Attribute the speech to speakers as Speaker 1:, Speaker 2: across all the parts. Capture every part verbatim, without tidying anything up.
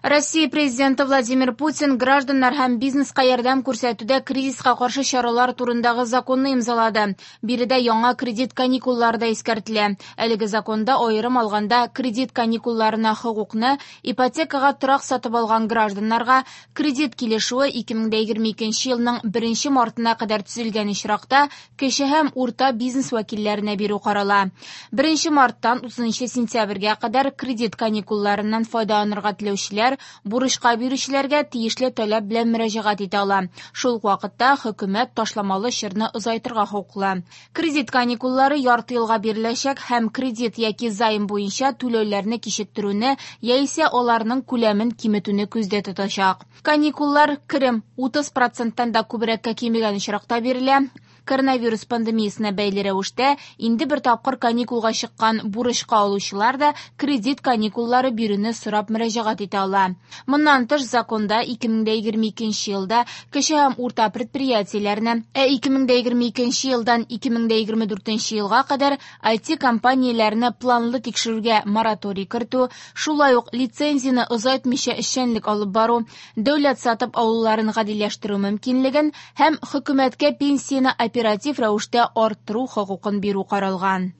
Speaker 1: Россия Президенты Владимир Путин гражданнар һәм бизнеска ярдәм күрсәтүдә кризиска каршы чаралар турындагы законны имзалады. Биредә яңа кредит каникуллары да искәртелә. Әлеге законда аерым алганда кредит каникулларына хокукны ипотекага торак сатып алган гражданнарга кредит килешүе ике мең егерме икенче елның беренче мартына кадәр төзелгән очракта кече һәм урта бизнес вәкилләренә бирү карала. Беренче марттан утызынчы сентябрьгә кадәр кредит каникулларыннан файдаланырга теләүчеләр бурычка бирүчеләргә тиешле таләп белән мөрәҗәгать итә ала. Шул ук вакытта хөкүмәт ташламалы чорны озайтырга хокуклы. Кредит каникуллары ярты елга биреләчәк һәм кредит яки займ буенча түләүләрне кичектерүне яисә аларның күләмен киметүне күздә тотачак. Каникуллар керем утыз проценттан да күбрәккә кимегән очракта бирелә. Коронавирус пандемиясенә бәйле рәвештә инде бер тапкыр каникулга чыккан бурычка алучылар да кредит каникуллары бирүне сорап мөрәҗәгать итә ала. Моннан тыш законда ике мең егерме икенче елда кече һәм урта предприятиеләрне, ә ике мең егерме икенче елдан ике мең егерме дүртенче елга кадәр ай ти компанияләрне планлы тикшерүгә мораторий кертү, шулай ук лицензияне озайтмыйча эшчәнлек алып бару, дәүләт сатып алуларын гадиләштерү мөмкинлеген һәм хөкүмәткә пенсияне оператив рәвештә арттыру хокукын бирү каралган.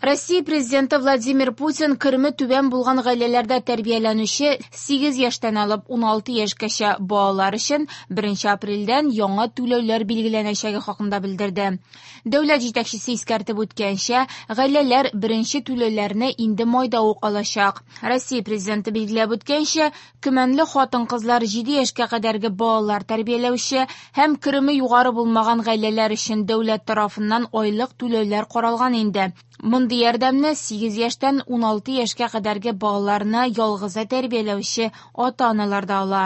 Speaker 1: Россия Президенты Владимир Путин кереме түбән булган гаиләләрдә тәрбияләнүче сигез яшьтән алып уналты яшькәчә балалар өчен беренче апрельдән яңа түләүләр билгеләнәчәге хакында белдерде. Дәүләт җитәкчесе искәртеп үткәнчә, гаиләләр беренче түләүләрне инде майда ук алачак. Россия Президенты билгеләп үткәнчә, көмәнле хатын-кызлар җиде яшькә кадәрге балалар тәрбияләүче һәм кереме югары булмаган гаиләләр өчен дәүләт тарафыннан айлык түләүләр каралган инде. Мондый ярдәмне сигез яшьтән уналты яшькә кадәрге балаларны ялгызы тәрбияләүче ата-аналар да ала.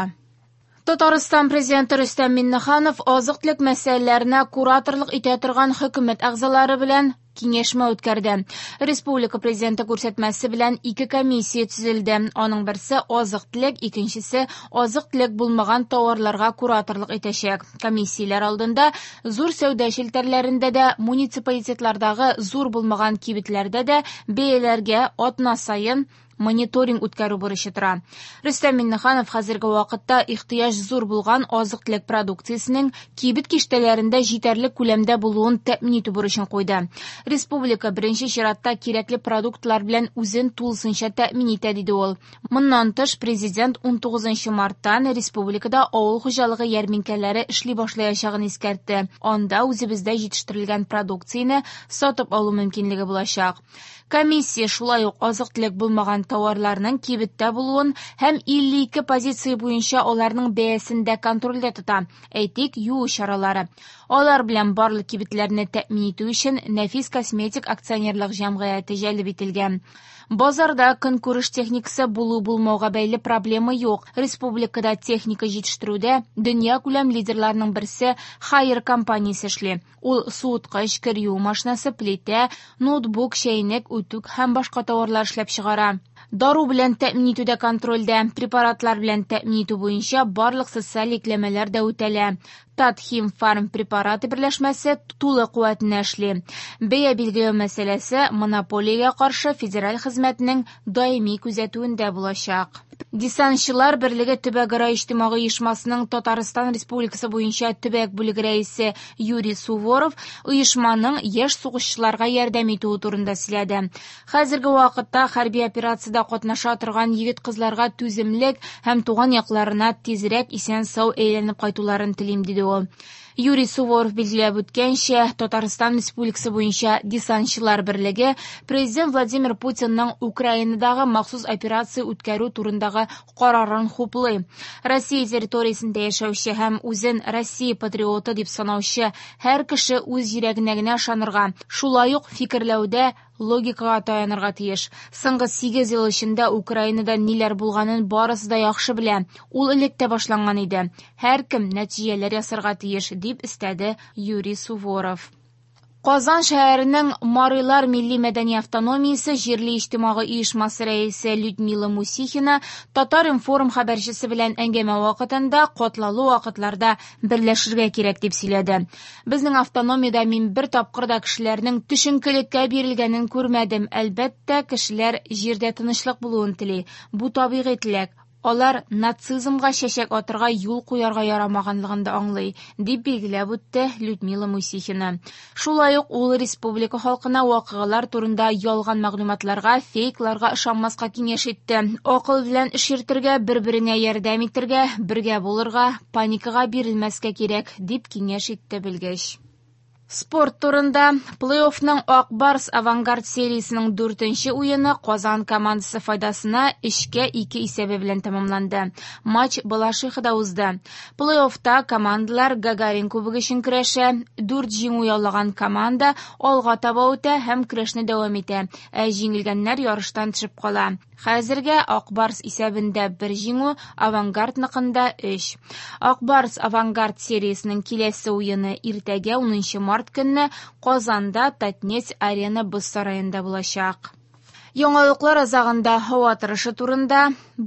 Speaker 1: Татарстан Президенты Рөстәм Миңнеханов азык-төлек мәсьәләләренә кураторлык итә торган хөкүмәт әгъзалары белән киңәшмә үткәрде. Республика Президенты күрсәтмәсе белән ике комиссия төзелде. Аның берсе азык-төлек, икенчесе азык-төлек булмаган товарларга кураторлык итәчәк. Комиссияләр алдында зур сәүдә челтәрләрендә дә, муниципалитетлардагы зур булмаган кибетләрдә дә бәяләргә атна саен мониторинг үткәрү бурычы тора. Рөстәм Миңнеханов хәзерге вакытта ихтыяҗ зур булган азык-төлек продукциясенең кибет киштәләрендә җитәрлек күләмдә булуын тәэмин итү бурычын куйды. Республика беренче чиратта кирәкле продуктлар белән үзен тулысынча тәэмин итә, диде ул. Моннан тыш, президент унтугызынчы марттан республикада авыл хуҗалыгы ярминкәләре эшли башлаячагын искәртте. Анда үзебездә җитештерелгән продукцияне сатып алу мөмкинлеге булачак. Комиссия шулай ук азык-төлек булмаган товарларның кибеттә булуын һәм илле ике позиция буенча аларның бәясен дә контрольдә тота. Әйтик, юу чаралары. Алар белән барлык кибетләрне тәэмин итү өчен Нәфис косметик акционерлык җәмгыяте җәлеп ителгән. Базарда көнкүреш техникасы булу-булмауга бәйле проблема юк. Республикада техника җитештерүдә дөнья күләм лидерларның берсе Haier компаниясе эшли. Ул суыткыч, кер юу машинасы, плитә, ноутбук, чәйнек, үтүк һәм башка товарлар эшләп чыгара. Дару белән тәэмин итүдә контрольдә, препаратлар белән тәэмин итү буенча барлык социаль йөкләмәләр дә үтәлә. Татхимфарм препараты берләшмәсе тулы куәтенә эшли. Бәя билгеләү мәсьәләсе монополиягә каршы федераль хезмәтнең даими күзәтүендә булачак. Десантчылар берлеге төбәкара иҗтимагый оешмасының Татарстан Республикасы буенча төбәк бүлеге рәисе Юрий Суворов оешманың яшь сугышчыларга ярдәм итүе турында сөйләде. Хәзерге вакытта хәрби операциядә катнаша торган егет-кызларга түземлек һәм туган якларына тизрәк исән-сау әйләнеп кайтуларын телим, диде ул. Юрий Суворов билгеләп үткәнчә, Татарстан Республикасы буенча десантчылар берлеге Президент Владимир Путинның Украинадагы махсус операция үткәрү турындагы карарын хуплый. Россия территориясендә яшәүче һәм үзен Россия патриоты дип санаучы һәр кеше үз йөрәгенә генә ышанырга, шулай ук фикерләүдә логикага таянырга тиеш. Соңгы сигез ел эчендә Украинада ниләр булганын барысы да яхшы белә. Ул элек тә башланган иде. Һәркем нәтиҗәләр ясарга тиеш, дип өстәде Юрий Суворов. Казан шәһәренең Марилар милли мәдәни автономиясе җирле иҗтимагый оешмасы рәисе Людмила Мусихина Татар-информ хәбәрчесе белән әңгәмә вакытында катлаулы вакытларда берләшергә кирәк дип сөйләде. Безнең автономиядә мин бер тапкыр да кешеләрнең төшенкелеккә бирелгәнен күрмәдем. Әлбәттә, кешеләр җирдә тынычлык булуын тели. Бу табигый теләк. Алар нацизмга чәчәк атырга юл куярга ярамаганлыгын да аңлый, дип билгеләп үтте Людмила Мусихина. Шулай ук ул республика халкына вакыйгалар турында ялган мәгълүматларга, фейкларга ышанмаска киңәш итте. Акыл белән эш йөртергә, бер-береңә ярдәм итәргә, бергә булырга, паникага бирелмәскә кирәк, дип киңәш итте белгеч. Спорт турында. Плей-оффның Ак Барс Авангард сериясенең дүртенче уены Казан командасы файдасына өчкә ике исәбе белән тәмамланды. Матч Балашихада узды. Плей-оффта командалар Гагарин кубогы өчен көрәшә. Дүрт җиңү яулаган команда алга таба үтә һәм көрәшне дәвам итә, ә җиңелгәннәр ярыштан төшеп кала. Хәзергә Ак Барс исәбендә бер җиңү, Авангардныкында өч. Ак Барс Авангард сериясенең киләсе уены иртәгә унынчы март көнне Казанда Татнефть Арена боз сараенда булачак. Яңалыклар азагында һава торышы турында.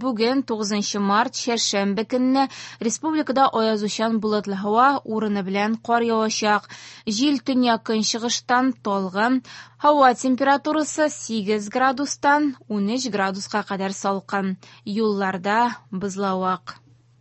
Speaker 1: Бүген тугызынчы март, чәршәмбе көнне республикада аязучан болытлы һава, урыны белән кар явачак. Җил төньяк-көнчыгыштан талгын. Һава температурасы сигез градустан унөч градуска кадәр салкын. Юлларда бозлавык.